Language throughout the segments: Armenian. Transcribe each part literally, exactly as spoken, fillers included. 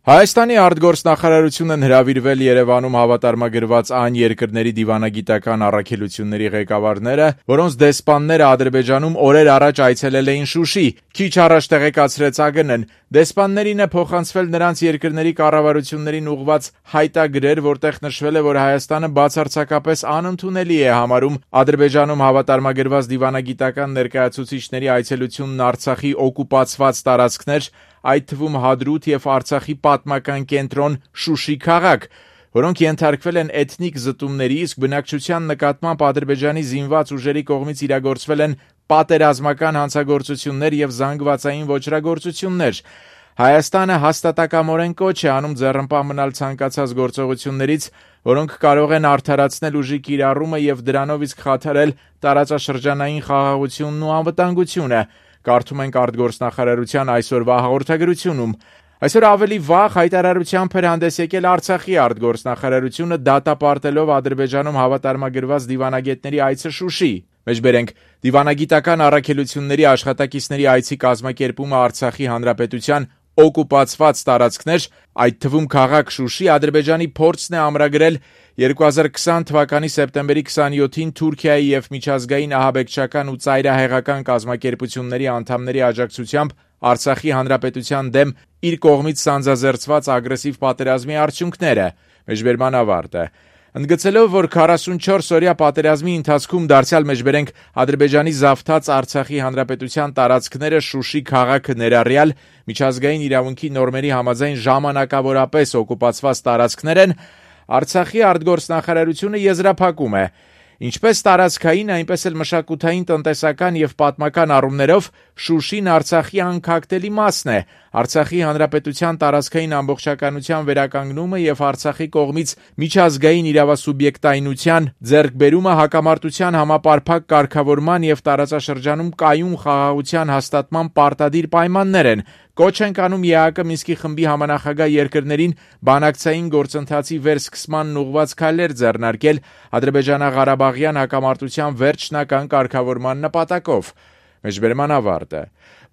Հայաստանի արտգործնախարարությունն հրավիրվել Երևանում հավատարմագրված այն երկրների դիվանագիտական առաքելությունների ղեկավարները, որոնց դեսպանները Ադրբեջանում օրեր առաջ այցելել էին Շուշի, քիչ առաջ տեղեկացրեց ԱԳՆ-ն, դեսպաններին է փոխանցվել նրանց երկրների կառավարություններին ուղղված հայտագրեր, որտեղ նշվել է, որ Հայաստանը բացարձակապես անընդունելի է համարում Ադրբեջանում հավատարմագրված դիվանագիտական ներկայացուցիչների այցելությունն Արցախի օկուպացված տարածքներ, այդ թվում Հադրութ և Արցախի պատմական կենտրոն Շուշի քաղաք, որոնք ենթարկվել են էթնիկ զտումների, իսկ բնակչության նկատմամբ Ադրբեջանի զինված ուժերի կողմից իրագործվել են պատերազմական հանցագործություններ և զանգվածային ոճրագործություններ։ Հայաստանը հաստատակամորեն կոչ է անում ձեռնպահ մնալ ցանկացած գործողություններից, որոնք կարող են արդարացնել ուժի կիրառումը և դրանով իսկ խաթարել տարածաշրջանային խաղաղությունն ու անվտանգությունը, կարդում ենք արտգործնախարարության այսօրվա հաղորդագրությունում։ Այսօր ավելի վաղ հայտարարությամբ էր հանդես եկել Արցախի արտգործնախարարությունը դատապարտելով Ադրբեջանում հավատարմագրված դիվանագետների այցը Շուշի։ Մեջբերենք, դիվանագիտական առաքելությունների աշխատակիցների այցի կազմակերպումը Արցախի հանրապետության օկուպացված տարածքներ, այդ թվում քաղաք Շուշի, Ադրբեջանի փորձն է ամրագրել երկու հազար քսան թվականի սեպտեմբերի քսանյոթին Թուրքիայի և միջազգային ահաբեկչական ու ծայրահեղական կազմակերպությունների անդամների աջակցությամբ Արցախի հանրապետության դեմ իր կողմից սանձազերծված ագրեսիվ պատերազմի արդյունքները։ Մեջբերման ավարտը։ Ընդգծելով, որ քառասունչորս օրյա պատերազմի ընթացքում դարձյալ մեջբերենք Ադրբեջանի զավթած Արցախի հանրապետության տարածքները Շուշի քաղաքը ներառյալ միջազգային իրավունքի նորմերի համաձայն ժամանակավորապես օկուպացված տարածքներ են, Արցախի արտգործնախարարությունը եզրափակում է. Ինչպես տարածքային, այնպես էլ մշակութային, տնտեսական և պատմական առումներով Շուշին Արցախի անքակտելի մասն է, Արցախի հանրապետության տարածքային ամբողջականության վերականգնումը և Արցախի կողմից միջազգային իրավասուբյեկտայնության ձեռքբերումը հակամարտության համապարփակ կարգավորման և տարածաշրջանում կայուն խաղաղության հաստատման պարտադիր պայմաններ են, կոչ ենք անում ԵԱՀԿ Մինսկի խմբի համանախագահ երկրներին բանակցային գործընթացի վերսկսմանն ուղղված քայլեր ձեռնարկել Ադրբեջանա-Ղարաբաղյան հակամարտության վերջնական կարգավորման նպատակով։ Մեջբերման ավարտը։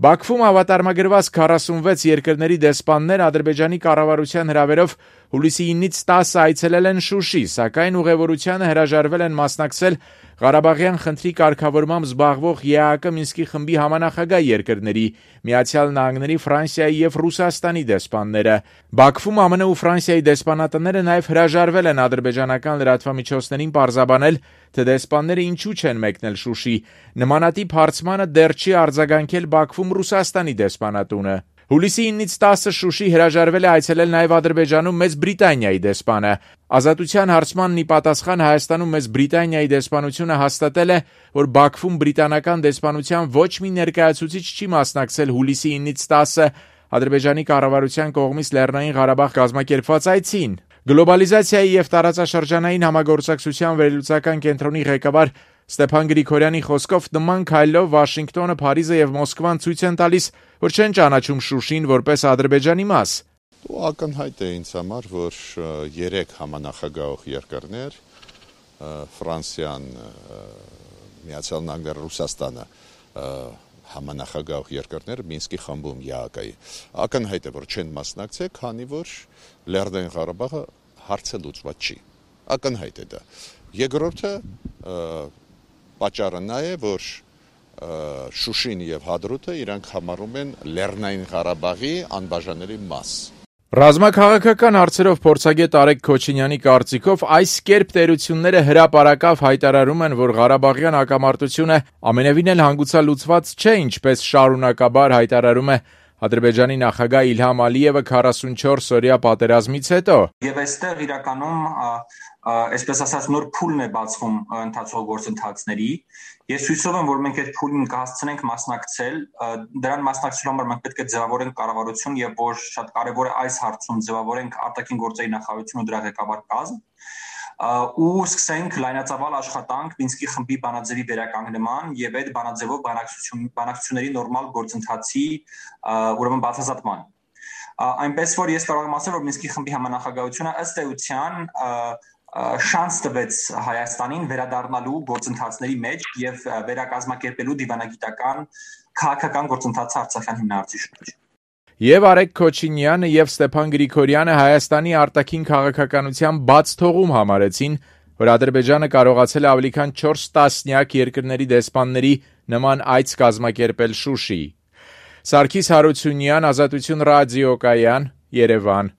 Բաքվում հավատարմագրված քառասունվեց երկրների դեսպաններ Ադրբեջանի կառավարության հրավերով հուլիսի ինից տասը այցելել են Շուշի, սակայն ուղևորությանը հրաժարվել են մասնակցել Ղարաբաղյան խնդրի կարգավորմամբ զբաղվող ԵԱՀԿ Մինսկի խմբի համանախագահ երկրների՝ Միացյալ Նահանգների, Ֆրանսիայի և Ռուսաստանի դեսպանները։ Բաքվում ԱՄՆ ու Ֆրանսիայի դեսպանատները նաև հրաժարվել են ադրբեջանական լրատվամիջոցներին պարզաբանել, թե դեսպանները ինչու չեն մեկնել Շուշի։ Նմանատիպ հարցմանը դեռ չի արձագանքել Բաքվում Ռուսաստանի դեսպանատունը։ Հուլիսի ինից տասը Շուշի հրաժարվել է այցելել նաև Ադրբեջանում Մեծ Բրիտանիայի դեսպանը։ Ազատության հարցմանն ի պատասխան Հայաստանում Մեծ Բրիտանիայի դեսպանությունը հաստատել է, որ Բաքվում բրիտանական դեսպանության ոչ մի ներկայացուցիչ չի մասնակցել հուլիսի ինից տասը Ադրբեջանի կառավարության կողմից Լեռնային Ղարաբաղ կազմակերպված այցին։ Գլոբալիզացիայի և տարածաշրջանային համագործակցության վերլուծական կենտրոնի ղեկավար Ստեփան Գրիգորյանի խոսքով նման քայլով Վաշինգտոնը, Փարիզը և Մոսկվան ցույց են տալիս, որ չեն ճանաչում Շուշին որպես Ադրբեջանի մաս։ Ակնհայտ է ինձ համար, որ երեք համանախագահող երկրներ՝ Ֆրանսիան, Միացյալ Նահանգները, Ռուսաստանը, համանախագահող երկրներ Մինսկի խմբում ԵԱՀԿ-ի ակնհայտ է, որ չեն մասնակցել, քանի որ Լեռնային Ղարաբաղը հարցը լուծված չի։ Ակնհայտ է դա։ Երկրորդը պատճառը նա է, որ Շուշին և Հադրութը իրանք համարում են Լեռնային Ղարաբաղի անբաժանելի մաս։ Ռազմաքաղաքական հարցերով փորձագետ Արեգ Քոչինյանի կարծիքով այս կերպ տերությունները հրապարակավ հայտարարում են, որ Ղարաբաղյան հակամարտությունը ամենևին էլ հանգուցալուծված չէ, ինչպես շարունակաբար հայտարարում է Ադրբեջանի նախագահ Իլհամ Ալիևը քառասունչորս օրյա պատերազմից հետո։ Եվ այստեղ իրականում, այսպես ասած, նոր փուլն է բացվում ընթացող գործընթացների։ Ես հույսով եմ, որ մենք այդ փուլին կհասցնենք մասնակցել, դրան մասնակցելու համար մենք պետք է ձևավորենք կառավարություն եւ որ շատ կարեւոր է այս հարցում ձևավորենք արտաքին գործերի նախարարություն ու դրա ղեկավար կազմ ու սկսենք լայնածավալ աշխատանք Մինսկի խմբի բանաձևի վերականգնման եւ այդ բանաձևով բանակցություն բանակցությունների նորմալ գործընթացի ուրեմն բացահայտման։ Այնպես որ ես կարող եմ ասել, որ Մինսկի խմբի համանախագահությունը ըստ էության շանս տվեց Հայաստանին վերադառնալու գործընթացների մեջ եւ վերակազմակերպելու դիվանագիտական քաղաքական գործընթացը Արցախյան հիմնարարցի շուրջ։ Եվ Արեգ Քոչինյանը եւ Ստեփան Գրիգորյանը Հայաստանի արտաքին քաղաքականության բաց թողում համարեցին, որ Ադրբեջանը կարողացել է ավելի քան չորս տասնյակ երկրների դեսպանների նման այց կազմակերպել Շուշի։ Սարգիս Հարությունյան, Ազատություն ռադիոկայան, Երևան։